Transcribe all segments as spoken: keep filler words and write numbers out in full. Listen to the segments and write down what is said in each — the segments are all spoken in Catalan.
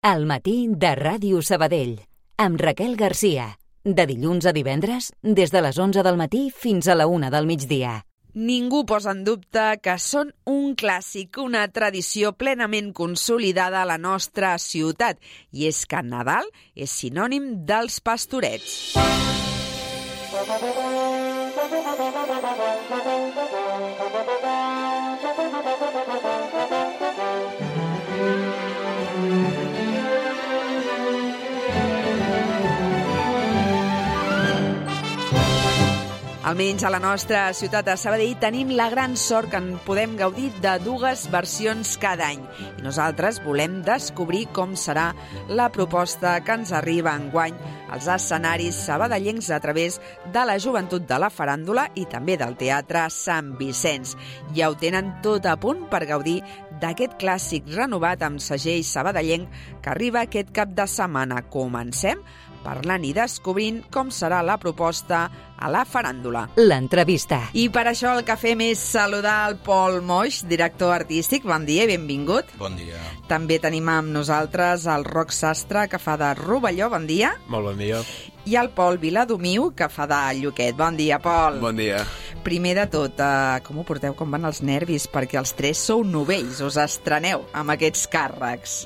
Al matí de Ràdio Sabadell, amb Raquel Garcia. De dilluns a divendres, des de les onze del matí fins a la una del migdia. Ningú posa en dubte que són un clàssic, una tradició plenament consolidada a la nostra ciutat. I és que Nadal és sinònim dels pastorets. Almenys a la nostra ciutat de Sabadell tenim la gran sort que en podem gaudir de dues versions cada any. I nosaltres volem descobrir com serà la proposta que ens arriba enguany als escenaris sabadellencs a través de la joventut de la faràndula i també del Teatre Sant Vicenç. Ja ho tenen tot a punt per gaudir d'aquest clàssic renovat amb segell sabadellenc que arriba aquest cap de setmana. Comencem parlant i descobrint com serà la proposta a la faràndula. L'entrevista. I per això el que fem és saludar el Pol Moix, director artístic. Bon dia i benvingut. Bon dia. També tenim amb nosaltres el Roc Sastre, que fa de Rovelló. Bon dia. Molt bon dia. I el Pol Viladomiu, que fa de Lluquet. Bon dia, Pol. Bon dia. Primer de tot, eh, com ho porteu, com van els nervis? Perquè els tres sou novells, us estreneu amb aquests càrrecs.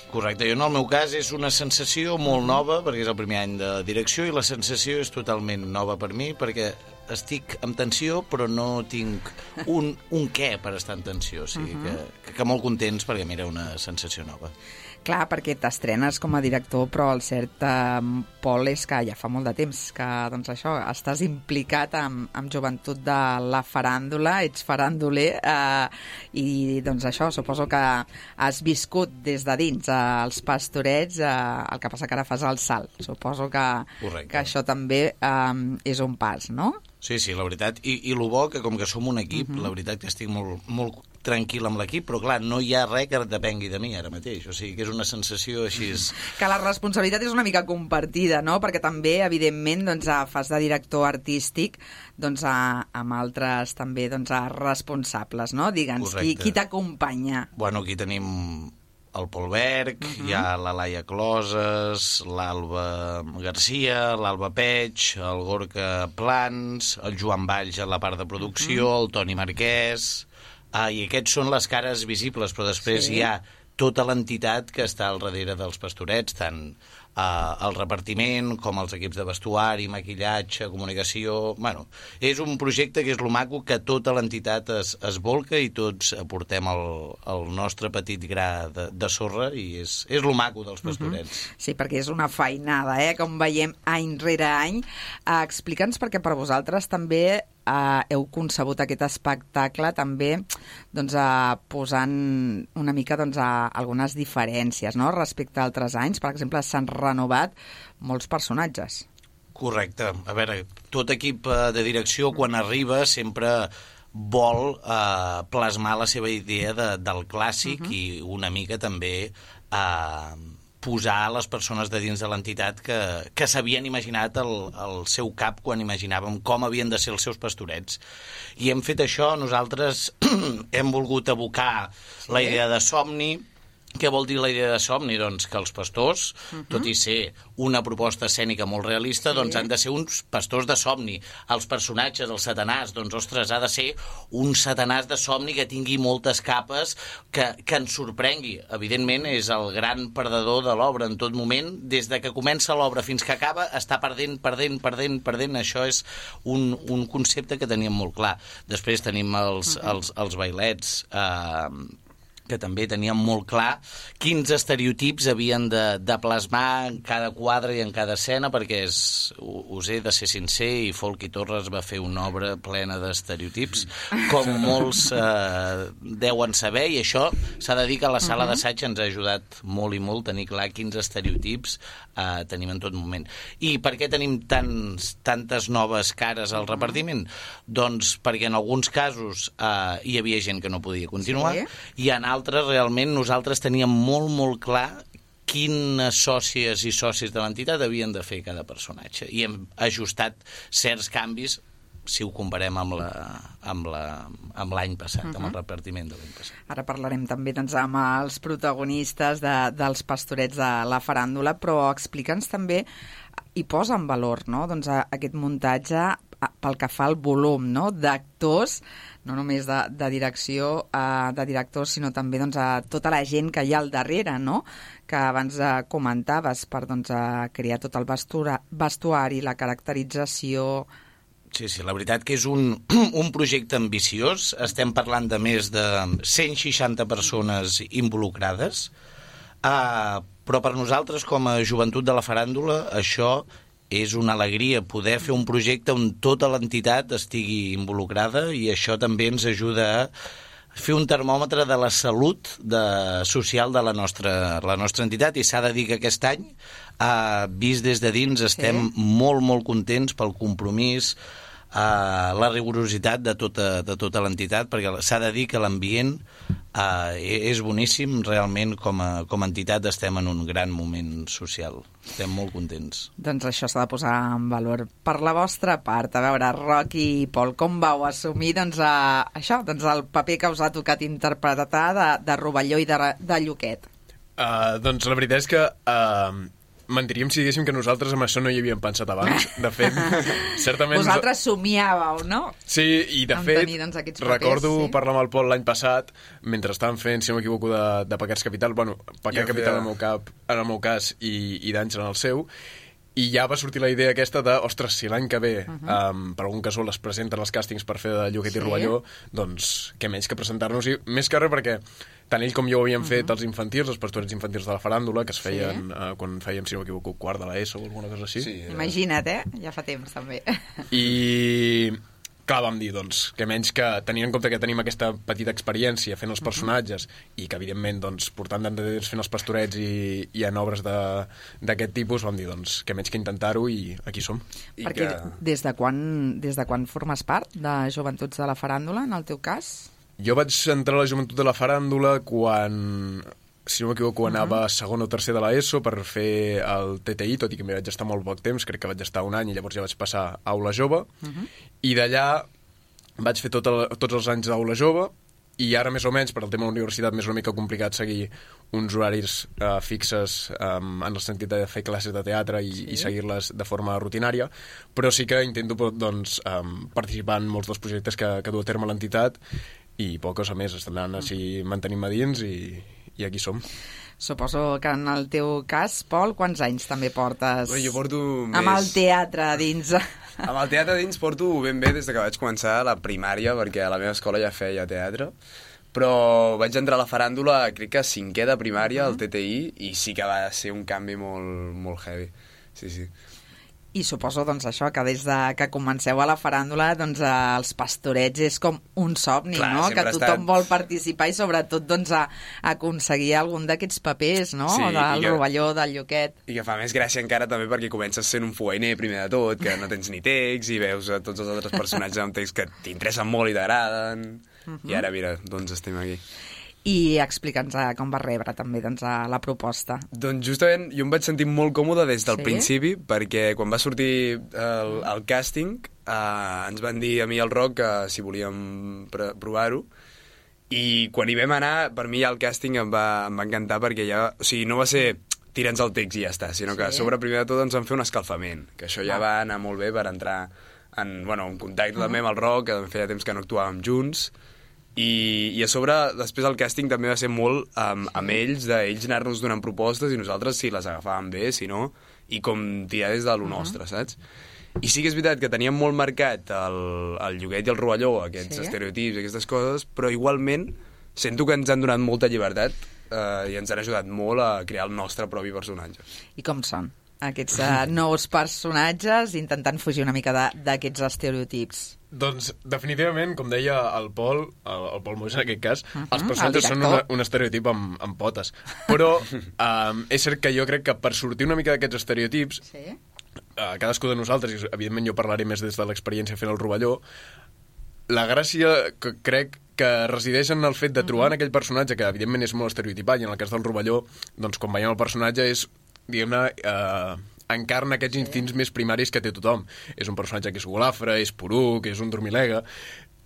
Correcte, jo en el meu cas és una sensació molt nova, perquè és el primer any de direcció, i la sensació és totalment nova per mi, perquè estic en tensió, però no tinc un, un què per estar en tensió. O sigui, uh -huh. que, que molt contents, perquè mira, una sensació nova. Clar, perquè t'estrenes com a director, però el cert, eh, Pol, és que ja fa molt de temps que, doncs això, estàs implicat amb, amb joventut de la faràndula, ets farànduler, eh, i doncs això, suposo que has viscut des de dins eh, els pastorets, eh, el que passa que ara fas el salt. Suposo que, Correcte. que això també eh, és un pas, no? Sí, sí, la veritat. I, i el bo que com que som un equip, uh -huh. la veritat que estic molt, molt tranquil amb l'equip, però clar, no hi ha res que depengui de mi ara mateix. O sigui, que és una sensació així... Que la responsabilitat és una mica compartida, no? Perquè també, evidentment, doncs, fas de director artístic doncs, amb altres també doncs, responsables, no? Digue'ns, qui, qui t'acompanya? Bueno, aquí tenim el Pol Berg, uh-huh. hi ha la Laia Closes, l'Alba Garcia, l'Alba Peig, el Gorka Plans, el Joan Valls a la part de producció, uh-huh. el Toni Marquès... Ah, i aquests són les cares visibles, però després sí. hi ha tota l'entitat que està al darrere dels pastorets, tant eh, el repartiment com els equips de vestuari, maquillatge, comunicació... Bueno, és un projecte que és lo maco, que tota l'entitat es, es volca i tots aportem el, el nostre petit gra de, de sorra, i és, és lo maco dels pastorets. Uh-huh. Sí, perquè és una feinada, eh? Com veiem any rere any. Uh, Explica'ns, perquè per vosaltres també Uh, heu concebut aquest espectacle també doncs, uh, posant una mica doncs, uh, algunes diferències, no?, respecte a altres anys. Per exemple, s'han renovat molts personatges. Correcte. A veure, tot equip de direcció, quan arriba, sempre vol uh, plasmar la seva idea de, del clàssic uh-huh. i una mica també... Uh, posar les persones de dins de l'entitat que, que s'havien imaginat el, el seu cap quan imaginàvem com havien de ser els seus pastorets. I hem fet això, nosaltres hem volgut abocar sí. la idea de somni. Què vol dir la idea de somni? Doncs que els pastors, uh-huh. tot i ser una proposta escènica molt realista, sí. doncs han de ser uns pastors de somni. Els personatges, el Satanàs, doncs, ostres, ha de ser un Satanàs de somni que tingui moltes capes, que, que ens sorprengui. Evidentment, és el gran perdedor de l'obra en tot moment. Des de que comença l'obra fins que acaba, està perdent, perdent, perdent, perdent. Això és un, un concepte que teníem molt clar. Després tenim els, uh-huh. els, els bailets... Eh, que també teníem molt clar quins estereotips havien de, de plasmar en cada quadre i en cada escena, perquè és, us he de ser sincer, i Folchi Torres va fer una obra plena d'estereotips, com molts eh, deuen saber, i això s'ha de dir que la sala uh-huh. d'assaig ens ha ajudat molt i molt a tenir clar quins estereotips eh, tenim en tot moment. I per què tenim tants, tantes noves cares al repartiment? Uh-huh. Doncs perquè en alguns casos eh, hi havia gent que no podia continuar, sí. i en altres realment nosaltres teníem molt, molt clar quines sòcies i socis de l'entitat havien de fer cada personatge. I hem ajustat certs canvis si ho comparem amb la, amb la, amb l'any passat, uh-huh. amb el repartiment de l'any passat. Ara parlarem també doncs, amb els protagonistes de, dels pastorets de la faràndula, però explica'ns també i posa en valor, no? doncs, a, aquest muntatge pel que fa al volum, no? d'actors, no només de, de direcció, eh, de directors, sinó també doncs, a tota la gent que hi ha al darrere, no? que abans eh, comentaves, per doncs, a crear tot el vestura, vestuari, la caracterització. Sí, sí, la veritat que és un, un projecte ambiciós. Estem parlant de més de cent seixanta persones involucrades, uh, però per nosaltres, com a joventut de la faràndula, això és una alegria, poder fer un projecte on tota l'entitat estigui involucrada, i això també ens ajuda a fer un termòmetre de la salut de, social de la nostra, la nostra entitat, i s'ha de dir que aquest any, Uh, vist des de dins, estem sí. molt, molt contents pel compromís, uh, la rigorositat de tota, de tota l'entitat, perquè s'ha de dir que l'ambient uh, és boníssim. Realment, com a, com a entitat, estem en un gran moment social. Estem molt contents. Doncs això s'ha de posar en valor. Per la vostra part, a veure, Roc i Pol, com vau assumir doncs, uh, això, doncs, el paper que us ha tocat interpretar de, de Rovelló i de, de Lluquet? Uh, doncs la veritat és que... Uh, mentiríem si diguéssim que nosaltres amb això no hi havíem pensat abans. De fet, certament... Vosaltres somiàveu, no? Sí, i de amb fet, tenir, doncs, papers, recordo sí. parlar amb el Pol l'any passat, mentre estàvem fent, si no m'equivoco, de, de Pecats Capital, bueno, Pecat jo Capital feia... en, el meu cap, en el meu cas i, i d'Àngel en el seu, i ja va sortir la idea aquesta de, ostres, si l'any que ve, uh -huh. um, per algun cas les presenten els càstings per fer de Lluquet sí. i Rovelló, doncs què menys que presentar-nos, i més que res perquè tant ell com jo ho havíem uh-huh. fet els infantils, els pastorets infantils de la faràndula, que es feien sí. uh, quan fèiem, si no m'equivoco, quart de l'ESO o alguna cosa així. Sí, era... Imagina't, eh? Ja fa temps, també. I... clar, vam dir, doncs, que menys que tenint en compte que tenim aquesta petita experiència fent els personatges uh-huh. i que, evidentment, doncs, portant tant de temps fent els pastorets i, i en obres d'aquest tipus, vam dir, doncs, que menys que intentar-ho, i aquí som. I Perquè que... des de quan, des de quan formes part de Joventuts de la Faràndula, en el teu cas? Jo vaig entrar a la joventut de la faràndula quan, si no m'equivoco, uh-huh. anava a segon o tercer de l'ESO per fer el T T I, tot i que m'hi vaig estar molt poc temps, crec que vaig estar un any, i llavors ja vaig passar a Aula Jove, uh-huh. i d'allà vaig fer tot el, tots els anys d'Aula Jove, i ara més o menys, per al tema de la universitat, m'és una mica complicat seguir uns horaris uh, fixes um, en el sentit de fer classes de teatre i, sí. i seguir-les de forma rutinària, però sí que intento doncs, um, participar en molts dels projectes que, que du a terme l'entitat, i poques a més, estan anant així mantenint-me dins, i, i aquí som. Suposo que en el teu cas, Pol, quants anys també portes Bé, jo porto més... amb el teatre dins? Amb el teatre dins porto ben bé des que vaig començar la primària, perquè a la meva escola ja feia teatre, però vaig entrar a la faràndula, crec que cinquè de primària, al T T I, i sí que va ser un canvi molt, molt heavy. Sí, sí. I suposo, doncs, això, que des de que comenceu a la faràndula, doncs, eh, els pastorets és com un somni, clar, no? Que tothom estat... vol participar i, sobretot, doncs, a, a aconseguir algun d'aquests papers, no? Sí, del que... Rovelló, del Lluquet. I que fa més gràcia encara també perquè comences sent un fogainer primer de tot, que no tens ni text, i veus a tots els altres personatges amb text que t'interessen molt i t'agraden, uh-huh. i ara, mira, doncs estem aquí. I explica'ns com va rebre també doncs, la proposta. Doncs justament jo em vaig sentir molt còmode des del sí? principi, perquè quan va sortir el, el càsting eh, ens van dir a mi i al Roc que si volíem provar-ho, i quan hi vam anar, per mi ja el càsting em va, em va encantar, perquè ja, o sigui, no va ser tira'ns el text i ja està, sinó que sí? a sobre primer de tot ens van fer un escalfament, que això ja va anar molt bé per entrar en, bueno, en contacte uh-huh. també amb el Roc, que feia temps que no actuàvem junts. I, i a sobre, després el càsting també va ser molt um, amb ells, d'ells anar-nos donant propostes i nosaltres si les agafàvem bé, si no, i com tirar des de lo uh-huh. nostre, saps? I sí que és veritat que teníem molt marcat el, el Lluquet i el Rovelló, aquests sí? estereotips i aquestes coses, però igualment sento que ens han donat molta llibertat eh, i ens han ajudat molt a crear el nostre propi personatge. I com són aquests uh, nous personatges, intentant fugir una mica d'aquests estereotips? Doncs, definitivament, com deia el Pol, el, el Pol Moix en aquest cas, uh-huh, els el personatges són una, un estereotip amb, amb potes. Però um, és cert que jo crec que per sortir una mica d'aquests estereotips, sí? uh, cadascú de nosaltres, i evidentment jo parlaré més des de l'experiència fent el Rovelló, la gràcia que crec que resideix en el fet de trobar uh-huh. en aquell personatge, que evidentment és molt estereotipat, i en el cas del Rovelló, doncs quan veiem el personatge és, diguem-ne, uh, encarna aquests instints més primaris que té tothom. És un personatge que és golafre, és poruc, és un dormilega,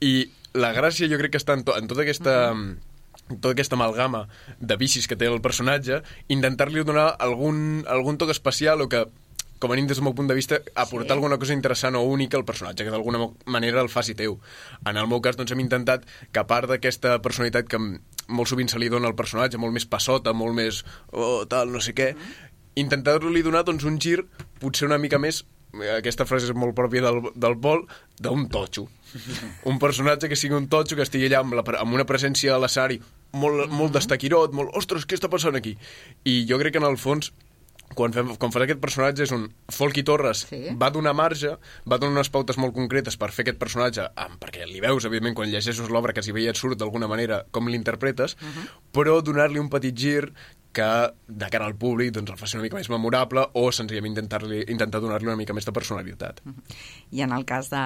i la gràcia jo crec que està en, to, en tota aquesta... Uh-huh. tota aquesta amalgama de vicis que té el personatge, intentar-li donar algun, algun toc especial o que, com a mínim des del meu punt de vista, aportar sí. alguna cosa interessant o única al personatge, que d'alguna manera el faci teu. En el meu cas, doncs, hem intentat que a part d'aquesta personalitat que molt sovint se li dona al personatge, molt més passota, molt més oh, tal, no sé què, uh-huh. intentar-li donar doncs, un gir potser una mica més, aquesta frase és molt pròpia del, del Pol, d'un totxo. Un personatge que sigui un totxo, que estigui allà amb, la, amb una presència a l'escenari molt, uh-huh. molt destaquirot, molt, ostres, què està passant aquí? I jo crec que en el fons quan, fem, quan fas aquest personatge és un... Folky Torres sí. va donar marge, va donar unes pautes molt concretes per fer aquest personatge, ah, perquè li veus, evidentment, quan llegeixes l'obra que si veia et surt d'alguna manera com l'interpretes, uh-huh. però donar-li un petit gir que, de cara al públic, doncs el faci una mica més memorable o senzillament intentar-li, intentar donar-li una mica més de personalitat. Uh-huh. I en el cas de,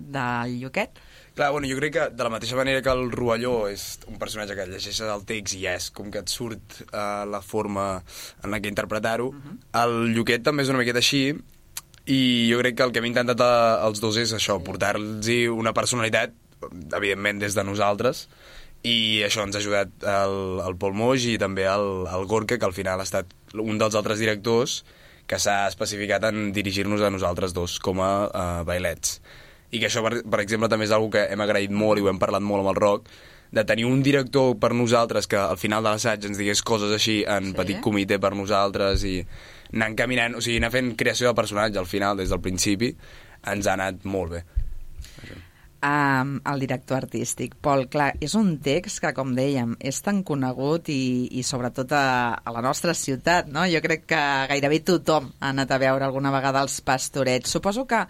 de Lluquet? Clar, bueno, jo crec que de la mateixa manera que el Rovelló és un personatge que llegeixes el text i ja és com que et surt uh, la forma en la que interpretar-ho, uh-huh. el Lluquet també és una miqueta així i jo crec que el que hem intentat a, als dos és això, portar-los una personalitat, evidentment des de nosaltres, i això ens ha ajudat el, el Pol Moix i també el, el Gorka, que al final ha estat un dels altres directors que s'ha especificat en dirigir-nos a nosaltres dos com a uh, bailets. I que això, per, per exemple, també és una que hem agraït molt i ho hem parlat molt amb el Roc, de tenir un director per nosaltres que al final de l'assaig ens digués coses així en sí. petit comitè per nosaltres i anar encaminant, o sigui, anar fent creació de personatge al final, des del principi, ens ha anat molt bé. Um, el director artístic. Pol, clar, és un text que, com dèiem, és tan conegut i, i sobretot a, a la nostra ciutat, no? Jo crec que gairebé tothom ha anat a veure alguna vegada els Pastorets. Suposo que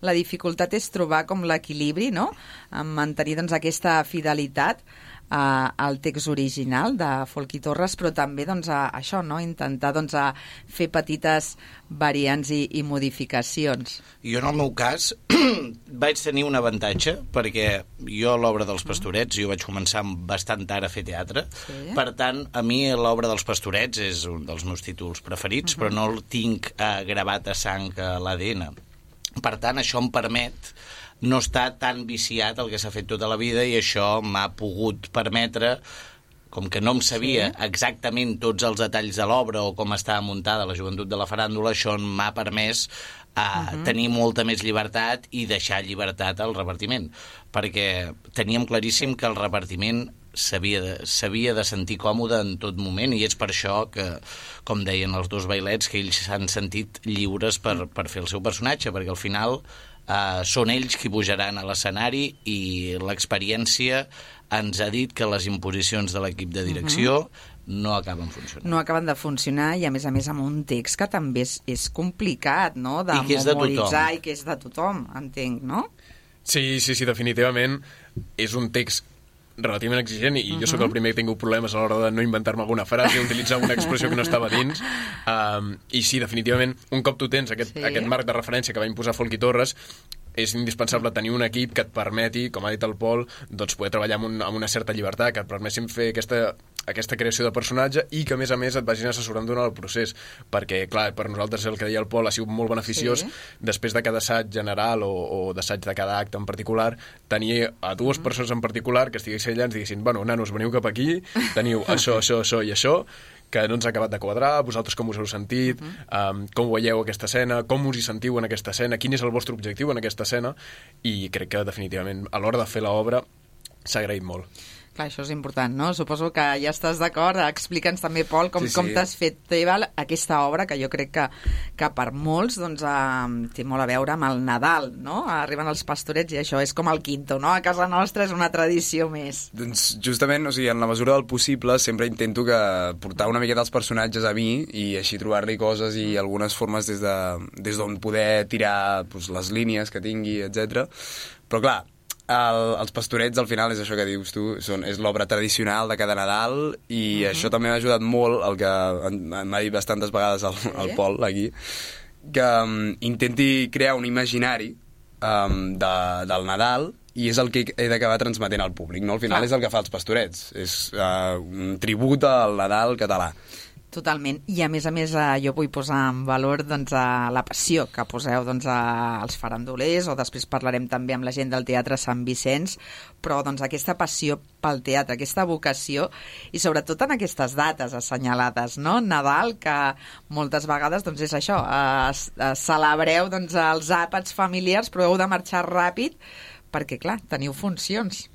la dificultat és trobar com l'equilibri, no?, en mantenir doncs, aquesta fidelitat Uh, al text original de Folky Torres, però també doncs, a, a això, no? Intentar doncs, a fer petites variants i, i modificacions. Jo en el meu cas vaig tenir un avantatge perquè jo l'obra dels Pastorets jo vaig començar bastant tard a fer teatre, sí. Per tant a mi l'obra dels Pastorets és un dels meus títols preferits, uh-huh. però no el tinc uh, gravat a sang a l'A D N. Per tant això em permet no està tan viciat el que s'ha fet tota la vida i això m'ha pogut permetre, com que no em sabia sí. exactament tots els detalls de l'obra o com estava muntada la joventut de la faràndula, això m'ha permès uh, uh-huh. tenir molta més llibertat i deixar llibertat al repartiment, perquè teníem claríssim que el repartiment s'havia de, s'havia de sentir còmode en tot moment i és per això que, com deien els dos bailets, que ells s'han sentit lliures per, per fer el seu personatge, perquè al final Uh, són ells qui pujaran a l'escenari i l'experiència ens ha dit que les imposicions de l'equip de direcció uh-huh. no acaben funcionant. No acaben de funcionar i a més a més amb un text que també és, és complicat, no?, de I que és de memoritzar tothom. I que és de tothom, entenc, no? Sí, sí, sí, definitivament és un text relativament exigent i uh-huh. jo sóc el primer que he tingut problemes a l'hora de no inventar-me alguna frase, utilitzar una expressió que no estava dins, um, i sí, definitivament un cop tu tens aquest, sí. aquest marc de referència que va imposar Folky Torres, és indispensable tenir un equip que et permeti, com ha dit el Pol, doncs poder treballar amb, un, amb una certa llibertat, que et permessin fer aquesta, aquesta creació de personatge i que a més a més et vagin assessorant durant el procés, perquè clar, per nosaltres el que deia el Pol ha sigut molt beneficiós sí. després de cada assaig general o, o d'assaig de cada acte en particular, tenir a dues mm. persones en particular que estiguessin allà i ens diguessin, bueno, nanos, veniu cap aquí, teniu això, això, això i això, que no ens ha acabat de quadrar, vosaltres com us heu sentit, uh-huh. um, com veieu aquesta escena, com us hi sentiu en aquesta escena, quin és el vostre objectiu en aquesta escena, i crec que definitivament a l'hora de fer l'obra s'ha agraït molt. Clar, això és important, no? Suposo que ja estàs d'acord. Explica'ns també, Pol, com, sí, sí. com t'has fet teva aquesta obra, que jo crec que, que per molts doncs, eh, té molt a veure amb el Nadal, no? Arriben els Pastorets i això és com el quinto, no? A casa nostra és una tradició més. Doncs justament, o sigui, en la mesura del possible sempre intento que portar una miqueta els personatges a mi i així trobar-li coses i algunes formes des de, des d'on poder tirar doncs, les línies que tingui, etcètera. Però clar, El, els Pastorets al final és això que dius tu, són, és l'obra tradicional de cada Nadal i uh-huh. això també m'ha ajudat molt, el que m'ha dit bastantes vegades el, el Pol aquí, que um, intenti crear un imaginari um, de, del Nadal i és el que he d'acabar transmetent al públic, no? Al final ah. és el que fa els Pastorets, és uh, un tribut al Nadal català. Totalment. I a més a més eh, jo vull posar en valor doncs, eh, la passió que poseu doncs, als farandolers, o després parlarem també amb la gent del Teatre Sant Vicenç, però doncs, aquesta passió pel teatre, aquesta vocació, i sobretot en aquestes dates assenyalades, no? Nadal, que moltes vegades doncs, és això, eh, eh, celebreu doncs, els àpats familiars, però heu de marxar ràpid perquè, clar, teniu funcions.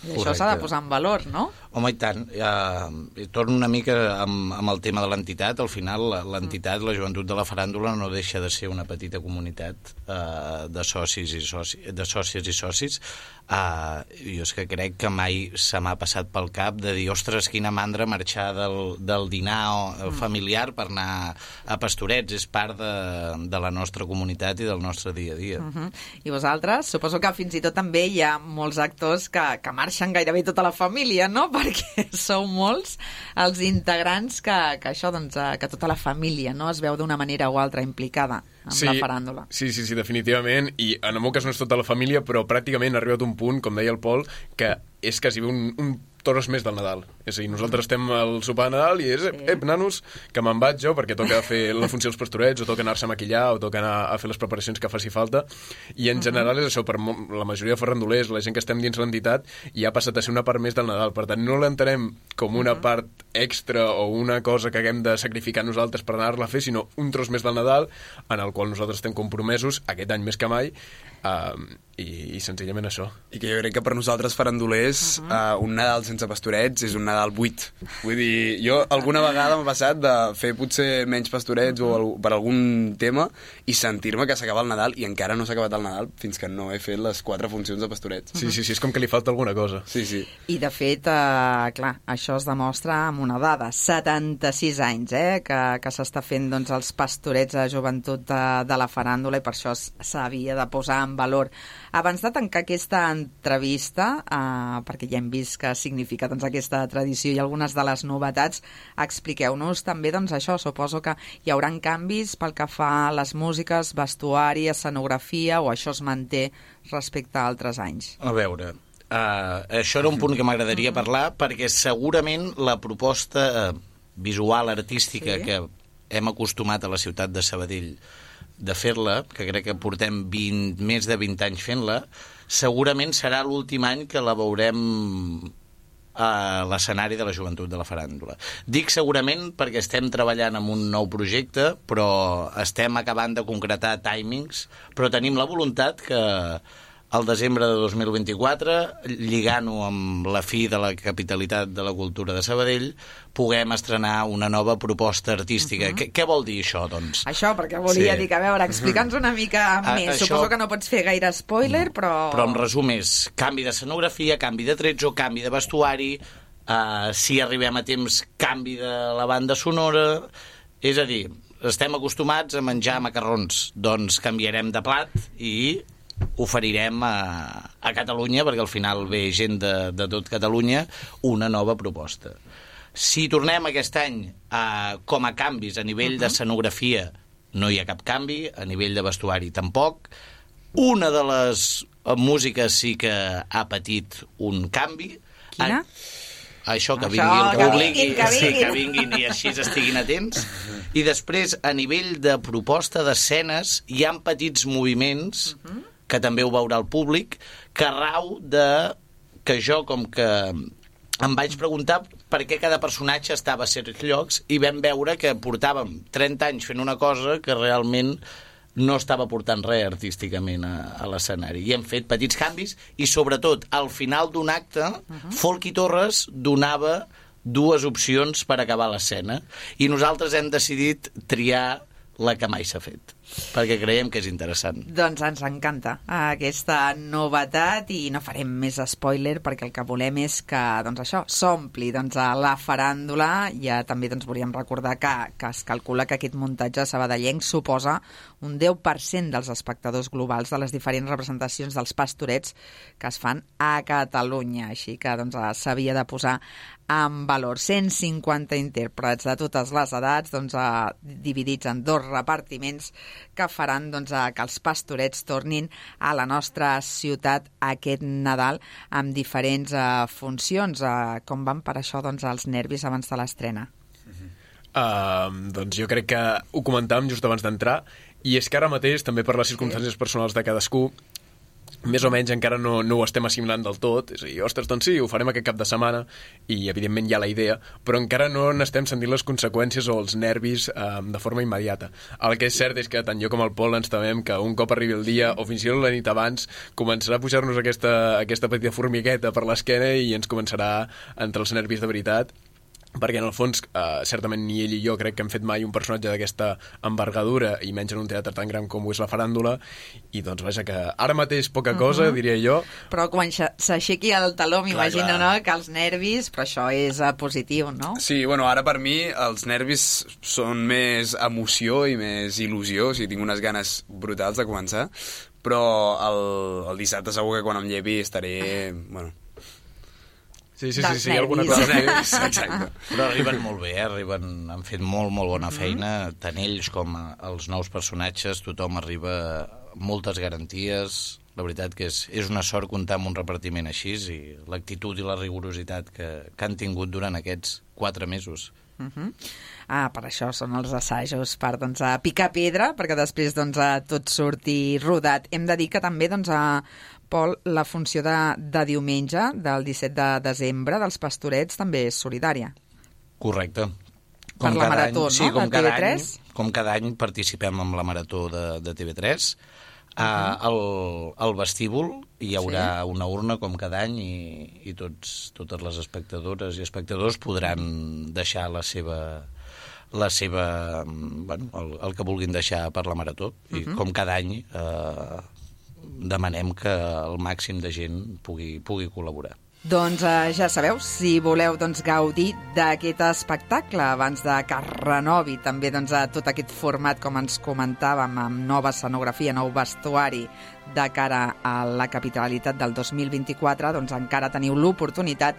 I això s'ha de posar en valor, no? Home, i tant. Eh, torno una mica amb, amb el tema de l'entitat. Al final, l'entitat, la Joventut de la Faràndula, no deixa de ser una petita comunitat eh, de socis i soci, de sòcies i socis. Eh, jo és que crec que mai se m'ha passat pel cap de dir, ostres, quina mandra marxar del, del dinar familiar per anar a Pastorets. És part de, de la nostra comunitat i del nostre dia a dia. Uh -huh. I vosaltres? Suposo que fins i tot també hi ha molts actors que, que marxen gairebé tota la família, no? Perquè sou molts els integrants que, que això, doncs, que tota la família no es veu d'una manera o altra implicada amb sí, la faràndula. Sí, sí, sí, definitivament, i en el meu cas no és tota la família, però pràcticament ha arribat un punt, com deia el Pol, que és quasi un, un tros més del Nadal. És a dir, nosaltres estem al sopar de Nadal i és, ep, ep, nanos, que me'n vaig jo perquè toca fer la funció dels pastorets, o toca anar-se a maquillar, o toca anar a fer les preparacions que faci falta, i en general és això, per la majoria de farrandolers, la gent que estem dins l'entitat, ja ha passat a ser una part més del Nadal. Per tant, no l'entenem com una part extra o una cosa que haguem de sacrificar nosaltres per anar-la a fer, sinó un tros més del Nadal, en el qual nosaltres estem compromesos, aquest any més que mai, uh, i, i senzillament això. I que jo crec que per nosaltres farandolers uh -huh. uh, un Nadal sense pastorets és un Nadal buit. Vull dir, jo alguna vegada m'ha passat de fer potser menys pastorets uh -huh. o el, per algun tema i sentir-me que s'acaba el Nadal i encara no s'ha acabat el Nadal fins que no he fet les quatre funcions de pastorets. Sí, sí, sí, és com que li falta alguna cosa. Sí, sí. I de fet, eh, clar, això es demostra amb una dada, setanta-sis anys eh, que, que s'està fent doncs, els pastorets de joventut de, de la faràndula, i per això s'havia de posar en valor. Abans de tancar aquesta entrevista, eh, perquè ja hem vist què significa doncs, aquesta tradició i algunes de les novetats, expliqueu-nos també doncs, això. Suposo que hi haurà canvis pel que fa a les músiques, vestuari, escenografia, o això es manté respecte a altres anys? A veure, uh, això era un punt que m'agradaria parlar, perquè segurament la proposta visual, artística, sí, que hem acostumat a la ciutat de Sabadell de fer-la, que crec que portem vint, més de vint anys fent-la, segurament serà l'últim any que la veurem a l'escenari de la Joventut de la Faràndula. Dic segurament perquè estem treballant en un nou projecte, però estem acabant de concretar timings, però tenim la voluntat que al desembre de dos mil vint-i-quatre, lligant-ho amb la fi de la capitalitat de la cultura de Sabadell, puguem estrenar una nova proposta artística. Uh -huh. Què, què vol dir això, doncs? Això, perquè volia sí. dir que, a veure, explica'ns una mica uh -huh. més. Això... Suposo que no pots fer gaire spoiler, no. però... Però en resum és canvi d'escenografia, canvi de tretzo, canvi de vestuari, uh, si arribem a temps, canvi de la banda sonora... És a dir, estem acostumats a menjar macarrons, doncs canviarem de plat i... oferirem a, a Catalunya, perquè al final ve gent de, de tot Catalunya, una nova proposta. Si tornem aquest any a, com a canvis a nivell uh -huh. d'escenografia, no hi ha cap canvi, a nivell de vestuari tampoc. Una de les músiques sí que ha patit un canvi. Quina? A, això, que això, vingui el públic, que vinguin, que sí, vinguin. que vinguin i així estiguin atents. I després, a nivell de proposta d'escenes, hi ha petits moviments uh -huh. que també ho veurà el públic, que rau de que jo, com que em vaig preguntar per què cada personatge estava a certs llocs, i vam veure que portàvem trenta anys fent una cosa que realment no estava portant res artísticament a, a l'escenari. I hem fet petits canvis, i sobretot, al final d'un acte, uh -huh. Folky Torres donava dues opcions per acabar l'escena, i nosaltres hem decidit triar la que mai s'ha fet, perquè creiem que és interessant. Doncs ens encanta aquesta novetat, i no farem més spoiler, perquè el que volem és que doncs això s'ompli doncs, a la faràndula. Ja també doncs, volíem recordar que, que es calcula que aquest muntatge sabadellenc suposa un deu per cent dels espectadors globals de les diferents representacions dels pastorets que es fan a Catalunya. Així que doncs, s'havia de posar en valor. cent cinquanta intèrprets de totes les edats, doncs, eh, dividits en dos repartiments que faran doncs, eh, que els pastorets tornin a la nostra ciutat aquest Nadal amb diferents eh, funcions. Eh, com van per això doncs, els nervis abans de l'estrena? Uh, doncs jo crec que ho comentàvem just abans d'entrar, i és que ara mateix, també per les circumstàncies personals de cadascú, més o menys encara no, no ho estem assimilant del tot. És a dir, ostres, doncs sí, ho farem aquest cap de setmana i evidentment hi ha la idea, però encara no n'estem sentint les conseqüències o els nervis eh, de forma immediata. El que és cert és que tant jo com el Pol ens temem que un cop arribi el dia, o fins i tot la nit abans, començarà a pujar-nos aquesta, aquesta petita formigueta per l'esquena i ens començarà a entrar els nervis de veritat, perquè en el fons eh, certament ni ell i jo crec que hem fet mai un personatge d'aquesta envergadura, i menys en un teatre tan gran com ho és la faràndula, i doncs vaja que ara mateix poca cosa, uh-huh. diria jo. Però quan s'aixequi el taló m'imagino, no?, que els nervis, però això és uh, positiu, no? Sí, bueno, ara per mi els nervis són més emoció i més il·lusió, o sigui, tinc unes ganes brutals de començar, però el, el dissabte segur que quan em llevi estaré, bueno... Sí, sí, sí, sí, hi ha alguna cosa més. Exacte. Però arriben molt bé, eh? Arriben, han fet molt, molt bona feina, tant ells com els nous personatges, tothom arriba amb moltes garanties. La veritat que és, és una sort comptar amb un repartiment així, i l'actitud i la rigorositat que, que han tingut durant aquests quatre mesos. Uh-huh. Ah, per això són els assajos, per doncs, a picar pedra, perquè després doncs, a tot surti rodat. Hem de dir que també, doncs, a Pol, la funció de, de diumenge, del disset de desembre, dels Pastorets, també és solidària. Correcte. Com per la marató, any, no? Sí, com de T V tres? Any, com cada any participem en la marató de, de T V tres. Uh-huh. Uh, al, al vestíbul hi haurà sí. una urna com cada any, i, i tots, totes les espectadores i espectadors podran deixar la seva... la seva, bueno, el, el que vulguin deixar per la marató. I uh-huh. com cada any eh, demanem que el màxim de gent pugui, pugui col·laborar. Doncs eh, ja sabeu, si voleu doncs, gaudir d'aquest espectacle abans de que es renovi també doncs, a tot aquest format, com ens comentàvem, amb nova escenografia, nou vestuari de cara a la capitalitat del dos mil vint-i-quatre, doncs encara teniu l'oportunitat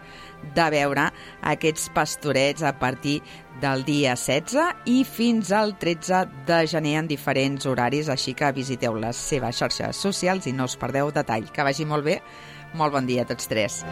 de veure aquests Pastorets a partir del dia setze i fins al tretze de gener en diferents horaris, així que visiteu les seves xarxes socials i no us perdeu detall. Que vagi molt bé. Molt bon dia a tots tres.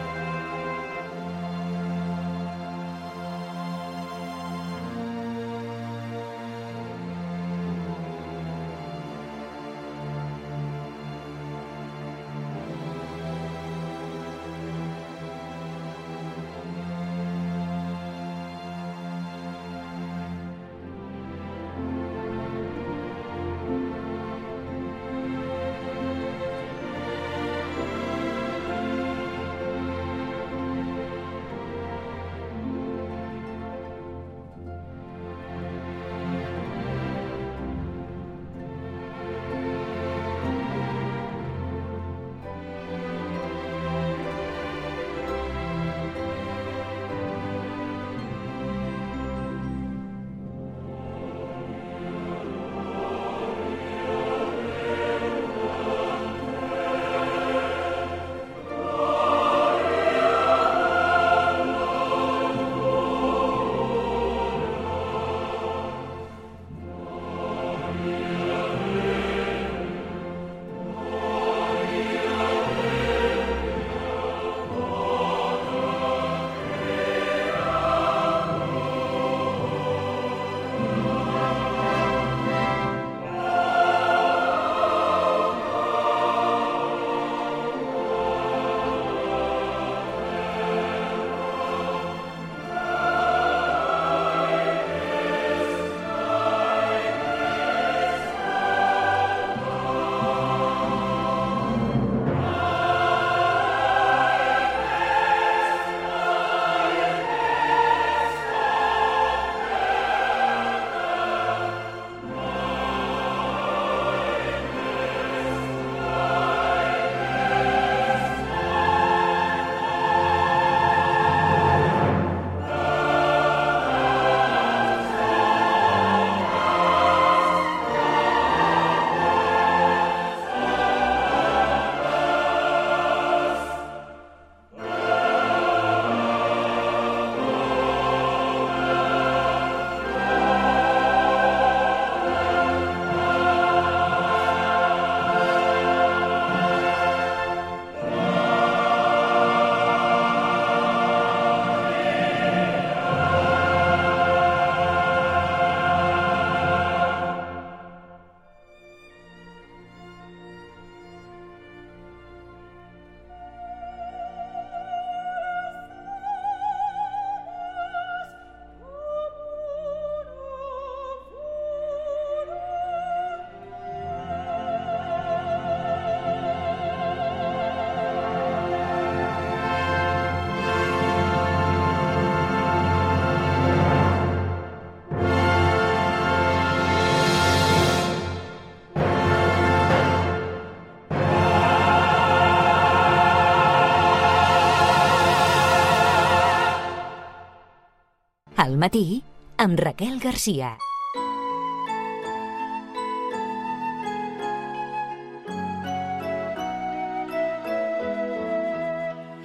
al matí amb Raquel Garcia.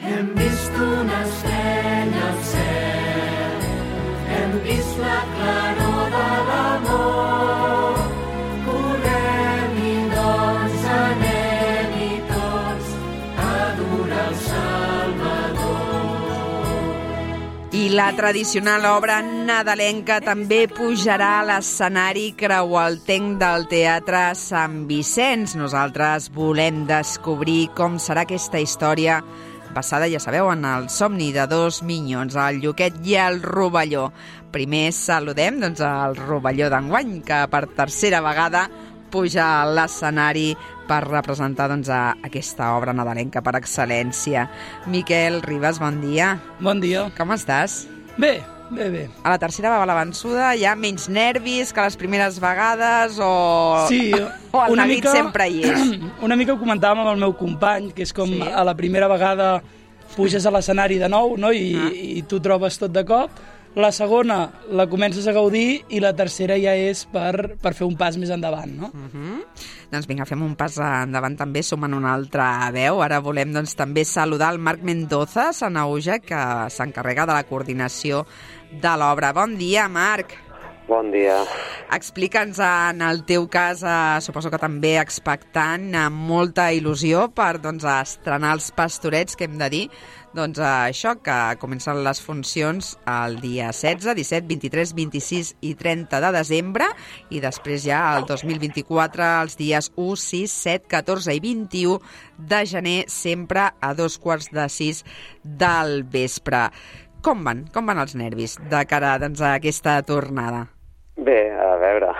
Hem vist una estrella al cel, hem vist la claror de l'amor, correm i doncs anem-hi tots a adorar el Salvador. I la tradicional obra nadalenca també pujarà a l'escenari creualtenc del Teatre Sant Vicenç. Nosaltres volem descobrir com serà aquesta història passada, ja sabeu, en el somni de dos minyons, el Lluquet i el Rovelló. Primer saludem doncs, el Rovelló d'enguany, que per tercera vegada puja a l'escenari per representar doncs, a aquesta obra nadalenca per excel·lència. Miquel Ribas, bon dia. Bon dia. Com estàs? Bé, bé, bé. A la tercera va la vençuda, hi ha menys nervis que les primeres vegades o, sí, o el una neguit mica, sempre hi és? Una mica ho comentàvem amb el meu company, que és com sí. A la primera vegada puges a l'escenari de nou, no? I, ah. i tu trobes tot de cop. La segona la comences a gaudir i la tercera ja és per, per fer un pas més endavant, no? Uh-huh. Doncs vinga, fem un pas endavant també, som en una altra veu. Ara volem doncs, també saludar el Marc Mendoza, Sanauja, que s'encarrega de la coordinació de l'obra. Bon dia, Marc. Bon dia. Explica'ns, en el teu cas, eh, suposo que també expectant, amb molta il·lusió per doncs, estrenar els Pastorets, que hem de dir, doncs això, que comencen les funcions el dia setze, disset, vint-i-tres, vint-i-sis i trenta de desembre, i després ja el dos mil vint-i-quatre, els dies u, sis, set, catorze i vint-i-u de gener, sempre a dos quarts de sis del vespre. Com van? Com van els nervis de cara doncs, a aquesta tornada? Bé, a veure,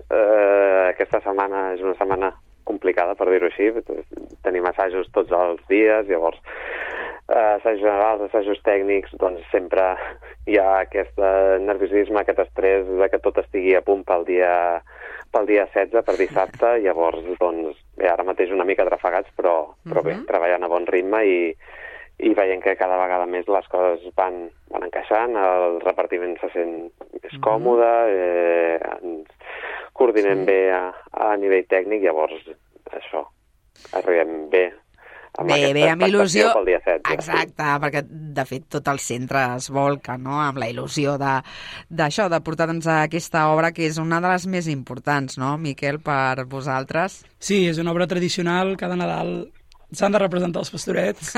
eh, aquesta setmana és una setmana complicada, per dir-ho així. Tenim assajos tots els dies, llavors eh, assajos generals, assajos tècnics, doncs sempre hi ha aquest nerviosisme, aquest estrès de que tot estigui a punt pel dia, pel dia setze, per dissabte. Llavors, doncs, bé, ara mateix una mica trafegats, però, però bé, treballant a bon ritme i i veient que cada vegada més les coses van, van encaixant, el repartiment se sent més còmode, eh, ens coordinem sí. bé a, a nivell tècnic, llavors això, arribem bé amb bé, aquesta bé, amb il·lusió pel dia setze. Exacte, sí. Perquè de fet tot el centre es volca, no?, amb la il·lusió de, d'això, de portar doncs, aquesta obra que és una de les més importants, no, Miquel, per vosaltres? Sí, és una obra tradicional, cada Nadal s'han de representar els Pastorets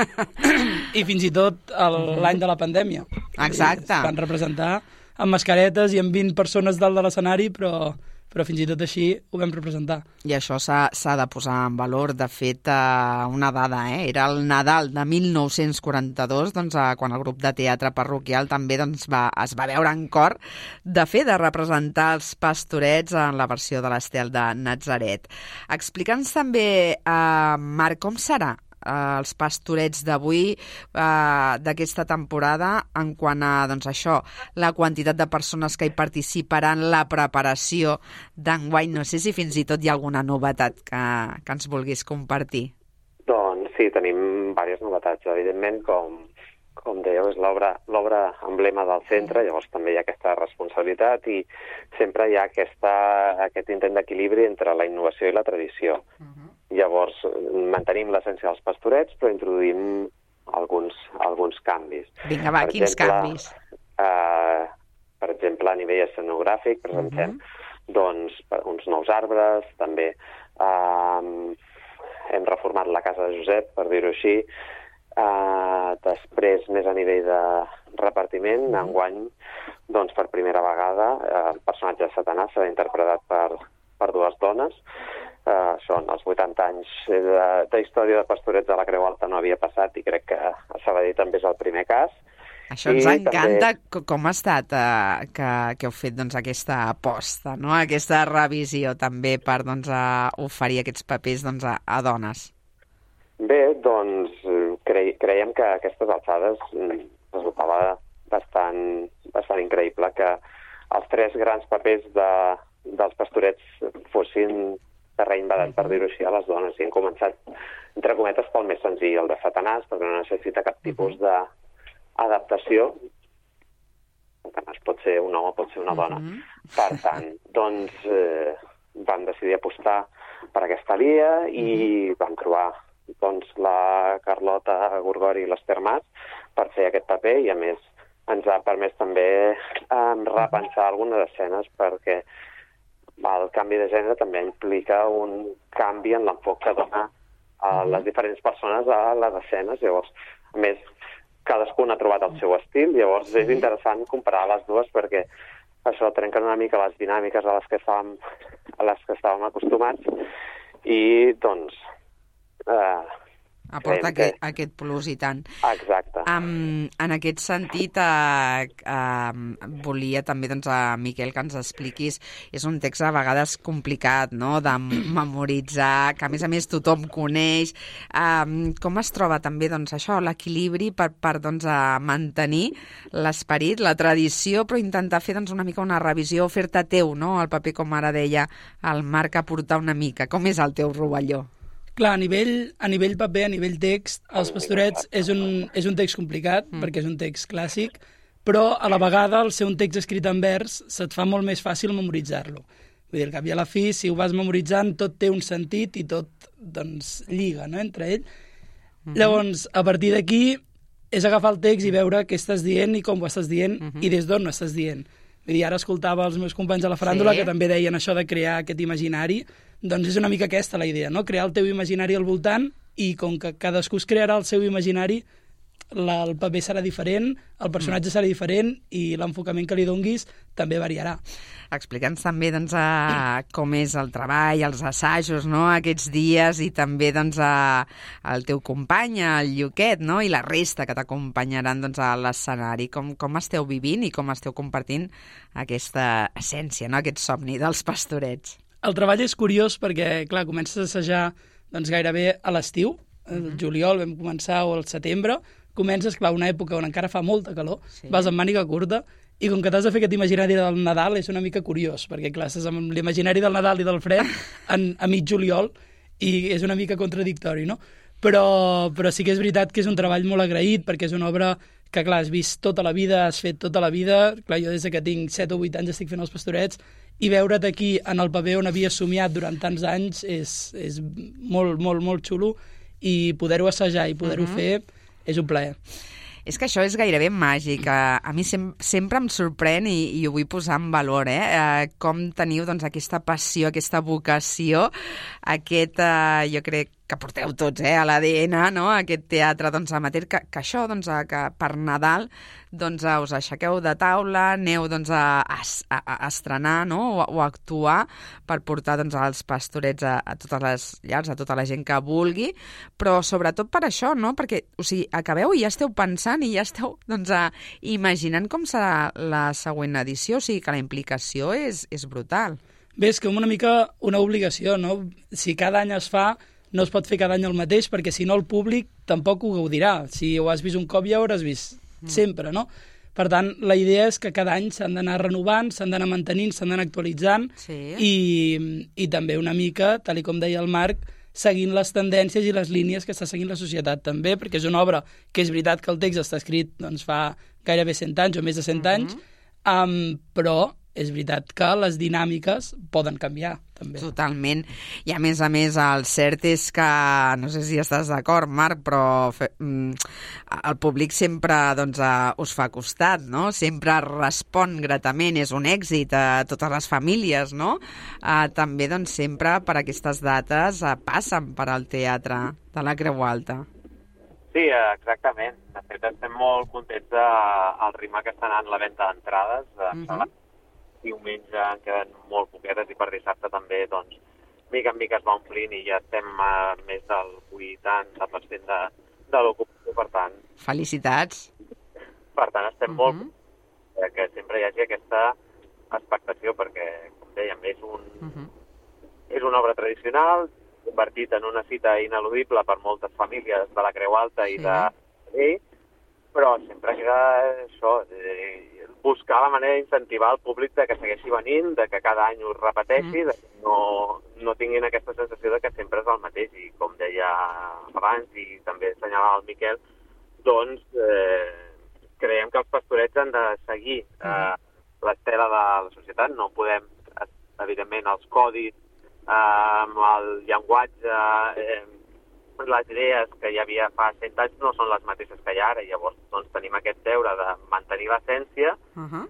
i fins i tot l'any de la pandèmia. Exacte. Es van representar amb mascaretes i amb vint persones dalt de l'escenari, però, però fins i tot així ho vam representar. I això s'ha, s'ha de posar en valor. De fet, eh, una dada, eh? Era el Nadal de mil nou-cents quaranta-dos, doncs, eh, quan el grup de teatre parroquial també doncs, va, es va veure en cor de fer de representar els Pastorets en la versió de l'Estel de Natzaret. Explica'ns també, eh, Marc, com serà els Pastorets d'avui, eh, d'aquesta temporada, en quant a doncs, això, la quantitat de persones que hi participaran, la preparació d'enguany. No sé si fins i tot hi ha alguna novetat que, que ens vulguis compartir. Doncs sí, tenim diverses novetats. Evidentment, com, com dèieu, és l'obra, l'obra emblema del centre, llavors també hi ha aquesta responsabilitat i sempre hi ha aquesta, aquest intent d'equilibri entre la innovació i la tradició. Uh-huh. Llavors, mantenim l'essència dels Pastorets, però introduïm alguns, alguns canvis. Vinga, va, per quins exemple, canvis? Eh, per exemple, a nivell escenogràfic presentem uh-huh. doncs, uns nous arbres, també eh, hem reformat la casa de Josep, per dir-ho així. Eh, després, més a nivell de repartiment, uh-huh. enguany, doncs, per primera vegada, eh, el personatge de Satanàs serà interpretat per, per dues dones. Uh, són els vuitanta anys de, de història de Pastorets de la Creu Alta, no havia passat i crec que a Sabadell també és el primer cas. Això ens I encanta també... com ha estat eh, que, que heu fet doncs, aquesta aposta, no? Aquesta revisió també per doncs, a oferir aquests papers doncs, a, a dones. Bé, doncs cre creiem que a aquestes alçades resultava bastant, bastant increïble que els tres grans papers de, dels Pastorets fossin terreny badat, per dir-ho així, a les dones. I hem començat, entre cometes, pel més senzill, el de Satanàs, perquè no necessita cap tipus d'adaptació. Canes. Pot ser un home, pot ser una dona. Mm-hmm. Per tant, doncs, eh, vam decidir apostar per aquesta via i mm-hmm. vam trobar doncs, la Carlota Gorgori i l'Ester Mas per fer aquest paper i, a més, ens ha permès també eh, repensar algunes escenes perquè el canvi de gènere també implica un canvi en l'enfoc que dona a les diferents persones a les escenes. Llavors, a més, cadascun ha trobat el seu estil, llavors és interessant comparar les dues perquè això trenca una mica les dinàmiques a les que estàvem, a les que estàvem acostumats i, doncs, eh, aporta aquest, que... aquest plus i tant. Exacte. Um, en aquest sentit, uh, uh, volia també, doncs, a Miquel, que ens expliquis, és un text a vegades complicat, no?, de memoritzar, que a més a més tothom coneix. Um, com es troba també, doncs, això, l'equilibri per, per doncs, a mantenir l'esperit, la tradició, però intentar fer, doncs, una mica una revisió, fer-te teu, no?, el paper, com ara deia el Marc, aportar una mica. Com és el teu rovelló? Clar, a nivell, a nivell paper, a nivell text, Els Pastorets és un, és un text complicat, mm. perquè és un text clàssic, però a la vegada, al ser un text escrit en vers, se't fa molt més fàcil memoritzar-lo. Vull dir, al cap i a la fi, si ho vas memoritzant, tot té un sentit i tot, doncs, lliga, no?, entre ell. Mm-hmm. Llavors, a partir d'aquí, és agafar el text i veure què estàs dient i com ho estàs dient mm-hmm. i des d'on ho estàs dient. Vull dir, ara escoltava els meus companys a la faràndula sí. que també deien això de crear aquest imaginari. Doncs és una mica aquesta la idea, no? Crear el teu imaginari al voltant i com que cadascú es crearà el seu imaginari, la, el paper serà diferent, el personatge mm. serà diferent i l'enfocament que li donguis també variarà. Explica'ns també doncs, a, com és el treball, els assajos, no?, aquests dies i també doncs, a, el teu company, el Lluquet, no?, i la resta que t'acompanyaran doncs, a l'escenari. Com, com esteu vivint i com esteu compartint aquesta essència, no?, aquest somni dels Pastorets? El treball és curiós perquè, clar, comences a assajar doncs, gairebé a l'estiu, el mm-hmm. juliol vam començar o el setembre, comences, clar, una època on encara fa molta calor, sí. vas amb màniga curta, i com que t'has de fer aquest imaginari del Nadal és una mica curiós, perquè, clar, estàs amb l'imaginari del Nadal i del fred en, a mig juliol, i és una mica contradictori, no? Però, però sí que és veritat que és un treball molt agraït, perquè és una obra que, clar, has vist tota la vida, has fet tota la vida, clar, jo des que tinc set o vuit anys estic fent Els Pastorets, i veure't aquí en el paper on havia somiat durant tants anys és, és molt, molt, molt xulo i poder-ho assajar i poder-ho uh-huh. fer és un plaer. És que això és gairebé màgic. A mi sem sempre em sorprèn i, i ho vull posar en valor, eh? eh com teniu doncs, aquesta passió, aquesta vocació, aquest, eh, jo crec que porteu tots eh, a l'A D N, no? Aquest teatre doncs, amateur, que, que això doncs, que per Nadal doncs, us aixequeu de taula, aneu doncs, a, a, a estrenar no? o, o a actuar per portar doncs, els Pastorets a, a totes les llars, a tota la gent que vulgui, però sobretot per això, no? Perquè o sigui, acabeu i ja esteu pensant i ja esteu doncs, a, imaginant com serà la següent edició, o sigui que la implicació és, és brutal. Bé, és que una mica una obligació, no? Si cada any es fa, no es pot fer cada any el mateix, perquè si no el públic tampoc ho gaudirà. Si ho has vist un cop ja ho hauràs vist mm. sempre, no? Per tant, la idea és que cada any s'han d'anar renovant, s'han d'anar mantenint, s'han d'anar actualitzant sí. i, i també una mica, tal com deia el Marc, seguint les tendències i les línies que està seguint la societat també, perquè és una obra que és veritat que el text està escrit doncs, fa gairebé cent anys o més de cent mm-hmm. anys, um, però és veritat que les dinàmiques poden canviar, també. Totalment. I a més a més, el cert és que, no sé si estàs d'acord, Marc, però fe, el públic sempre doncs, us fa costat, no? Sempre respon gratament, és un èxit a totes les famílies, no? Uh, també, doncs, sempre per aquestes dates uh, passen per al teatre de la Creu Alta. Sí, exactament. De fet, estem molt contents del ritme que està anant la venda d'entrades. Uh-huh. Diumenge en queden molt poquetes i per dissabte també, doncs, mica en mica es va omplint i ja estem a més del vuitanta per cent de, de l'ocupació, per tant... Felicitats! Per tant, estem uh-huh. molt... que sempre hi hagi aquesta expectació, perquè, com dèiem, és, un, uh-huh. és una obra tradicional, convertit en una cita ineludible per moltes famílies de la Creu Alta i sí. de ell, però sempre queda això... Eh, buscar la manera d'incentivar el públic de que segueixi venint, de que cada any ho repeteixi, mm. de que no, no tinguin aquesta sensació de que sempre és el mateix. I com deia abans, i també assenyalava el Miquel, doncs eh, creiem que els pastorets han de seguir eh, l'estela de la societat. No podem, evidentment, els codis, eh, el llenguatge, eh, les idees que hi havia fa cent anys no són les mateixes que hi ha ara. Llavors doncs, tenim aquest deure de mantenir l'essència, uh -huh.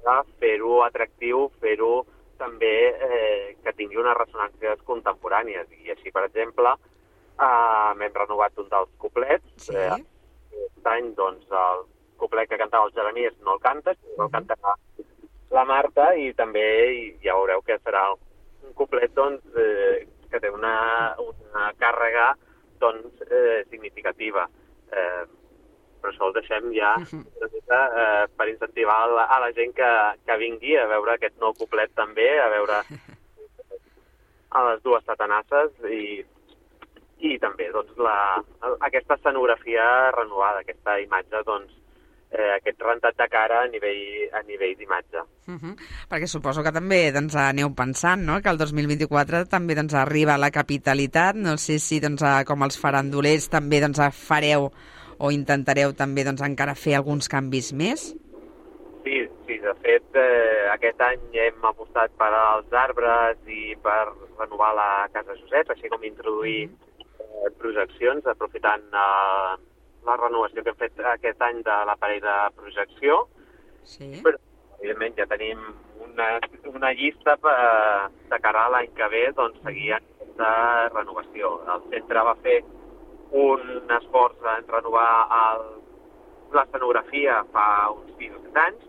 de fer-ho atractiu, fer-ho també eh, que tingui unes ressonàncies contemporànies. I així, per exemple, eh, m'hem renovat un dels couplets. Sí. Eh, aquest any, doncs, el couplet que cantava el Jeremies no el canta, sinó el cantarà la Marta, i també ja veureu que serà un couplet doncs, eh, que té una, una càrrega doncs, eh, significativa. Eh, però això ho deixem ja una mica eh, per incentivar la, a la gent que, que vingui a veure aquest nou couplet també, a veure a les dues satanasses i, i també doncs, la, aquesta escenografia renovada, aquesta imatge, doncs, eh, aquest rentat de cara a nivell, a nivell d'imatge. Uh -huh. Perquè suposo que també doncs, aneu pensant, no?, que el dos mil vint-i-quatre també doncs, arriba a la capitalitat. No sé si doncs, com els farandolers també doncs, fareu o intentareu també doncs, encara fer alguns canvis més? Sí, sí, de fet, eh, aquest any hem apostat per als arbres i per renovar la Casa Josep, així com introduir eh, projeccions, aprofitant eh, la renovació que hem fet aquest any de l'aparell de projecció. Sí. Però, evidentment, ja tenim una, una llista per, de cara a l'any que ve, doncs, seguir aquesta renovació. El centre va fer un esforç en renovar l'escenografia fa uns sis o set anys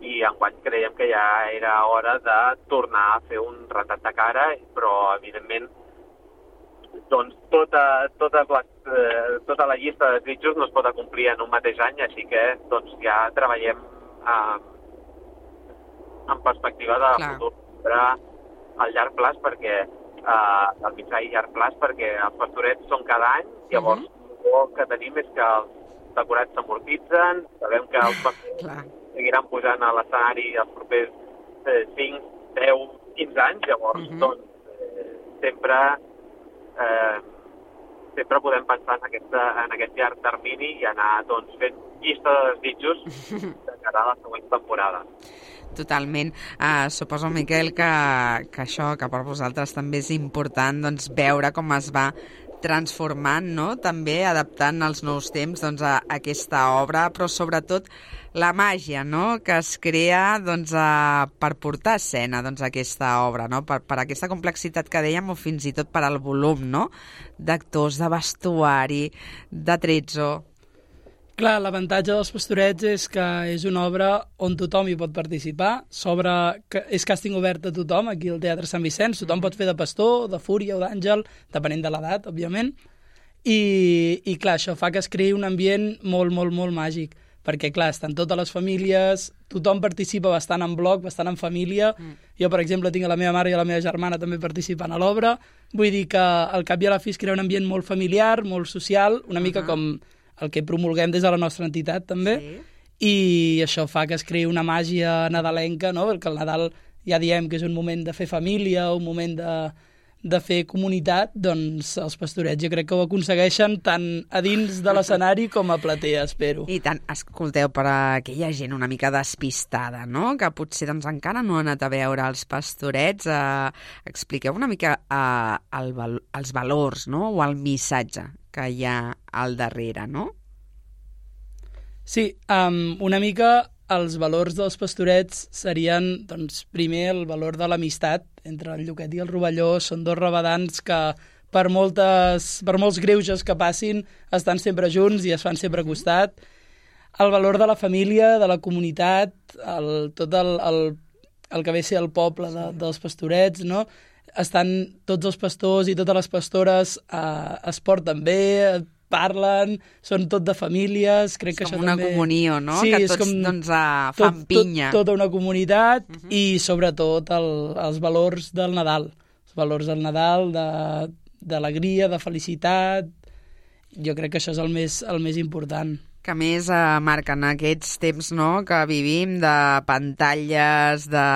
i enguany creiem que ja era hora de tornar a fer un retrat de cara, però, evidentment, doncs tota, totes les, eh, tota la llista de desitjos no es pot acomplir en un mateix any, així que doncs, ja treballem eh, en perspectiva de Clar. futur a llarg plaç, perquè eh, el mitjà i llarg plaç, perquè els pastorets són cada any, llavors uh-huh. el que tenim és que els decorats s'amortitzen, sabem que els pastorets seguiran pujant a l'escenari els propers eh, cinc, deu, quinze anys, llavors uh-huh. doncs eh, sempre eh, sempre podem pensar en, aquesta, en aquest llarg termini i anar doncs, fent llista de desitjos de cara a la següent temporada. Totalment. Uh, suposo, Miquel, que, que això, que per vosaltres també és important doncs, veure com es va transformant, no?, també adaptant als nous temps doncs, a, a aquesta obra, però sobretot la màgia, no?, que es crea doncs, a, per portar a escena doncs, aquesta obra, no?, per, per aquesta complexitat que dèiem o fins i tot per al volum, no?, d'actors, de vestuari, de tretzo. Clar, l'avantatge dels Pastorets és que és una obra on tothom hi pot participar, sobre, que és càsting obert a tothom, aquí al Teatre Sant Vicenç, tothom pot fer de pastor, de fúria o d'àngel, depenent de l'edat, òbviament, i, i clar, això fa que es creï un ambient molt, molt, molt màgic, perquè clar, estan totes les famílies, tothom participa bastant en bloc, bastant en família, mm. jo, per exemple, tinc a la meva mare i a la meva germana també participant a l'obra, vull dir que al cap i a la fi es crea un ambient molt familiar, molt social, una mica uh-huh. com el que promulguem des de la nostra entitat, també, sí. i això fa que es creï una màgia nadalenca, no?, perquè el Nadal ja diem que és un moment de fer família, un moment de, de fer comunitat, doncs els Pastorets jo crec que ho aconsegueixen tant a dins de l'escenari com a platea, espero. I tant, escolteu, per a aquella gent una mica despistada, no?, que potser doncs, encara no ha anat a veure els Pastorets, eh, expliqueu una mica eh, el, els valors, no?, o el missatge que hi ha al darrere, no? Sí, um, una mica els valors dels Pastorets serien, doncs, primer el valor de l'amistat entre el Lluquet i el Rovelló. Són dos rabadans que per, moltes, per molts greuges que passin estan sempre junts i es fan sempre a costat. El valor de la família, de la comunitat, el, tot el, el, el que ve a ser el poble de, dels Pastorets, no? Estan tots els pastors i totes les pastores eh, es porten bé, parlen, són tot de famílies, crec és que això com una també... comunió, no? Sí, que tots com doncs, uh, fan tot, pinya. Tot, tota una comunitat uh -huh. i sobretot el, els valors del Nadal, els valors del Nadal, d'alegria, de, de felicitat. Jo crec que això és el més, el més important. Que més, eh, Marc, en aquests temps, no?, que vivim de pantalles, de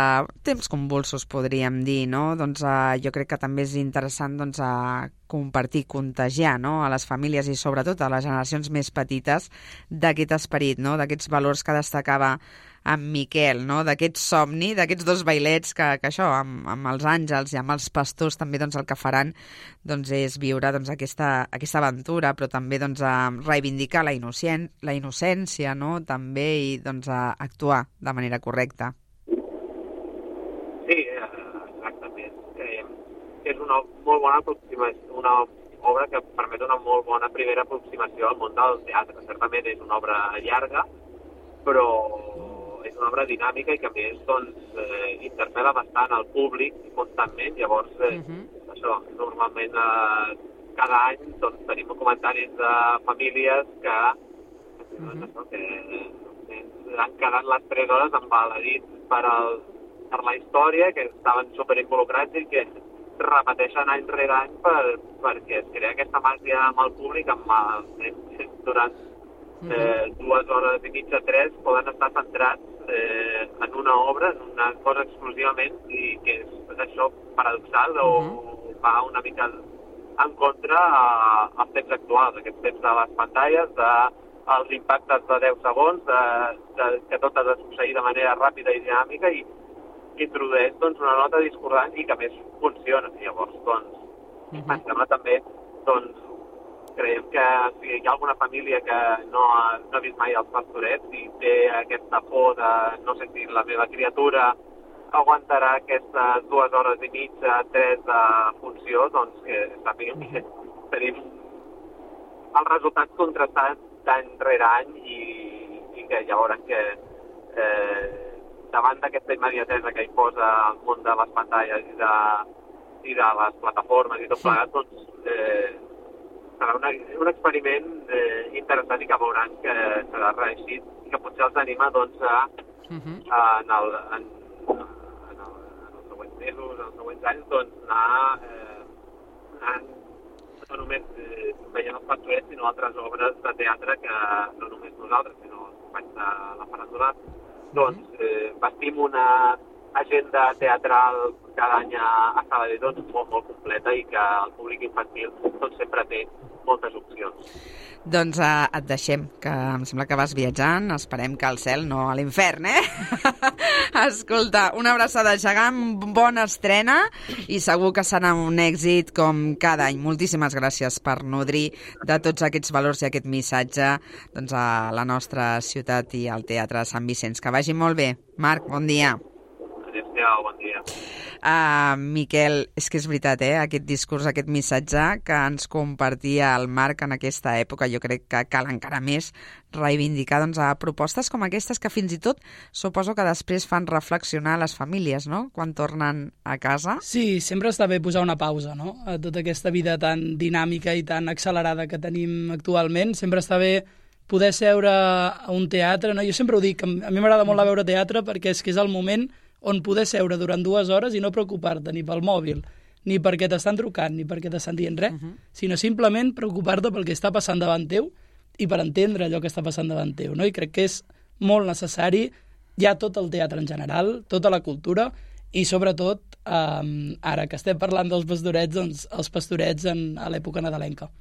temps convulsos, podríem dir, no? Doncs eh, jo crec que també és interessant doncs, a compartir, contagiar, no?, a les famílies i sobretot a les generacions més petites d'aquest esperit, no?, d'aquests valors que destacava en Miquel, no?, d'aquest somni, d'aquests dos bailets que, que això, amb, amb els àngels i amb els pastors també doncs, el que faran doncs, és viure doncs, aquesta, aquesta aventura, però també doncs, a reivindicar la, innocent, la innocència, no?, també, i doncs, a actuar de manera correcta. Sí, exactament. Eh, és una molt bona aproximació, una obra que permet una molt bona primera aproximació al món del teatre. Certament és una obra llarga, però és una obra dinàmica i que a més doncs, eh, interpel·la bastant al públic constantment. Llavors, eh, uh-huh. això, normalment eh, cada any doncs, tenim comentaris de famílies que, uh-huh. doncs, això, que eh, han quedat les tres hores embaladits per, el, per la història, que estaven superinvolucrats i que repeteixen any rere any per, perquè es crea aquesta màgia amb el públic, amb el, durant eh, dues hores i mitja, tres, poden estar centrats eh, en una obra, en una cosa exclusivament, i que és això paradoxal o uh-huh. va una mica en contra a, als temps actuals, aquests temps de les pantalles, de els impactes de deu segons, de, de, que tot ha de succeir de manera ràpida i dinàmica, i que introdueix doncs, una nota discordant i que més funciona. Llavors, doncs, uh-huh. em sembla també, doncs, creiem que si hi ha alguna família que no ha, no ha vist mai els Pastorets i té aquesta por de no sé si la meva criatura aguantarà aquestes dues hores i mitja, tres de funció, doncs que sàpiguem que tenim els resultats contrastats d'any rere any i, i que ja veurem que eh, davant d'aquesta immediatesa que hi posa el món de les pantalles i de, i de les plataformes i tot plegat, doncs eh, serà una, un experiment eh, interessant i que veuran que serà reeixit i que potser els anima doncs, a, uh-huh. a, en, el, en, en, el, en els següents mesos, en els següents anys, doncs, anar, eh, anar no només eh, veient els Pastorets, sinó altres obres de teatre que no només nosaltres, sinó els companys de la faràndula, doncs eh, vestim una agenda teatral cada any a Sabadell doncs, molt, molt completa i que el públic infantil doncs, sempre té moltes opcions. Doncs uh, et deixem, que em sembla que vas viatjant, esperem que al cel, no a l'infern, eh? Escolta, una abraçada gegant, bona estrena i segur que serà un èxit com cada any. Moltíssimes gràcies per nodrir de tots aquests valors i aquest missatge doncs, a la nostra ciutat i al Teatre Sant Vicenç. Que vagi molt bé. Marc, bon dia. Adéu-siau, bon dia. Uh, Miquel, és que és veritat, eh? Aquest discurs, aquest missatge que ens compartia el Marc en aquesta època, jo crec que cal encara més reivindicar doncs, a propostes com aquestes que fins i tot suposo que després fan reflexionar les famílies, no?, quan tornen a casa. Sí, sempre està bé posar una pausa, no?, a tota aquesta vida tan dinàmica i tan accelerada que tenim actualment. Sempre està bé poder seure a un teatre, no? Jo sempre ho dic, a mi m'agrada molt veure teatre perquè és que és el moment on poder seure durant dues hores i no preocupar-te ni pel mòbil, ni perquè t'estan trucant, ni perquè t'estan dient res, uh-huh. sinó simplement preocupar-te pel que està passant davant teu i per entendre allò que està passant davant teu, no? I crec que és molt necessari ja tot el teatre en general, tota la cultura, i sobretot, eh, ara que estem parlant dels pastorets, doncs els pastorets en, a l'època nadalenca.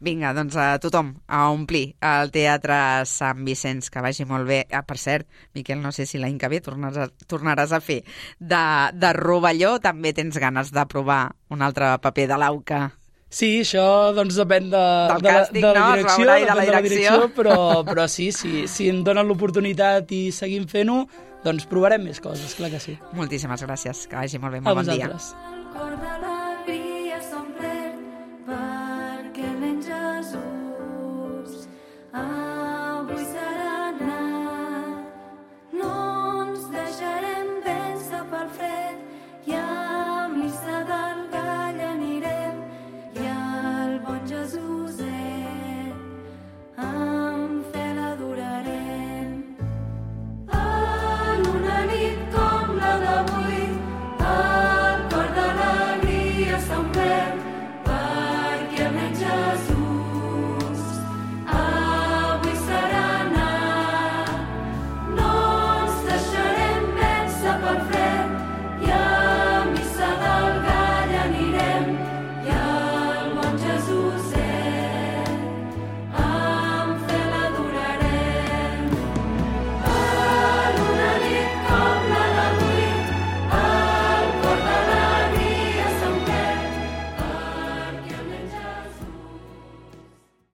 Vinga, doncs a tothom a omplir el Teatre Sant Vicenç, que vagi molt bé. Ah, per cert, Miquel, no sé si l'any que ve tornaràs a, tornaràs a fer de, de Rovelló, també tens ganes de provar un altre paper de l'Auca. Sí, això doncs depèn de, del de, càsting, de, de la no? direcció, de la depèn direcció. de la direcció, però, però sí, sí, si em donen l'oportunitat i seguim fent-ho, doncs provarem més coses, clar que sí. Moltíssimes gràcies, que vagi molt bé, molt bon dia. El cor de l'alegria s'omplert perquè el nen Jesús avui serà nat. No ens deixarem vèncer pel fred i a missa del gall anirem i al bon Jesuset amb fe l'adorarem. En una nit com la d'avui, el cor d'alegria s'ha omplert